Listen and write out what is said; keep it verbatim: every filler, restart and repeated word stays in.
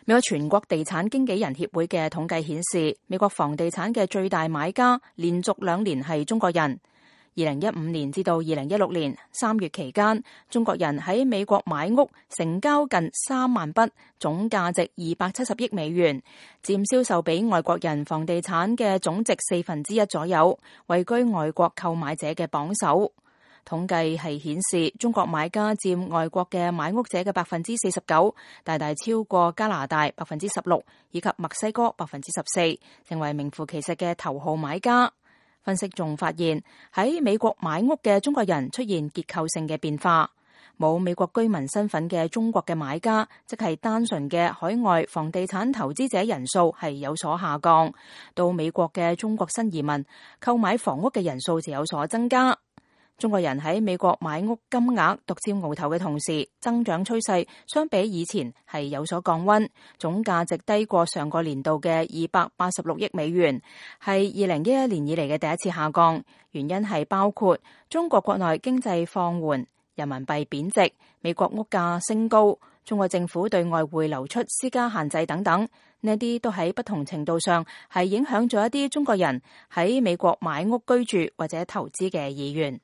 美國全國地產經紀人協會嘅統計顯示，美國房地產嘅最大買家連續兩年係中國人。二零一五年至到二零一六年三月期間，中國人喺美國買屋成交近三萬筆，總價值二百七十億美元，佔銷售俾外國人房地產嘅總值四分之一左右，位居外國購買者嘅榜首。統計係顯示，中國買家佔外國嘅買屋者嘅百分之四十九，大大超過加拿大百分之十六，以及墨西哥百分之十四，成為名副其實嘅頭號買家。分析仲發現，喺美國買屋嘅中國人出現結構性嘅變化，冇美國居民身份嘅中國嘅買家，即係單純嘅海外房地產投資者人數係有所下降，到美國嘅中國新移民購買房屋嘅人數就有所增加。中國人喺美國買屋金額獨佔鰲頭嘅同時，增長趨勢相比以前係有所降溫，總價值低過上個年度嘅二百八十六億美元，係二零一一年以嚟嘅第一次下降。原因係包括中國國內經濟放緩、人民幣貶值、美國屋價升高、中國政府對外匯流出施加限制等等，呢啲都喺不同程度上係影響咗一啲中國人喺美國買屋居住或者投資嘅意願。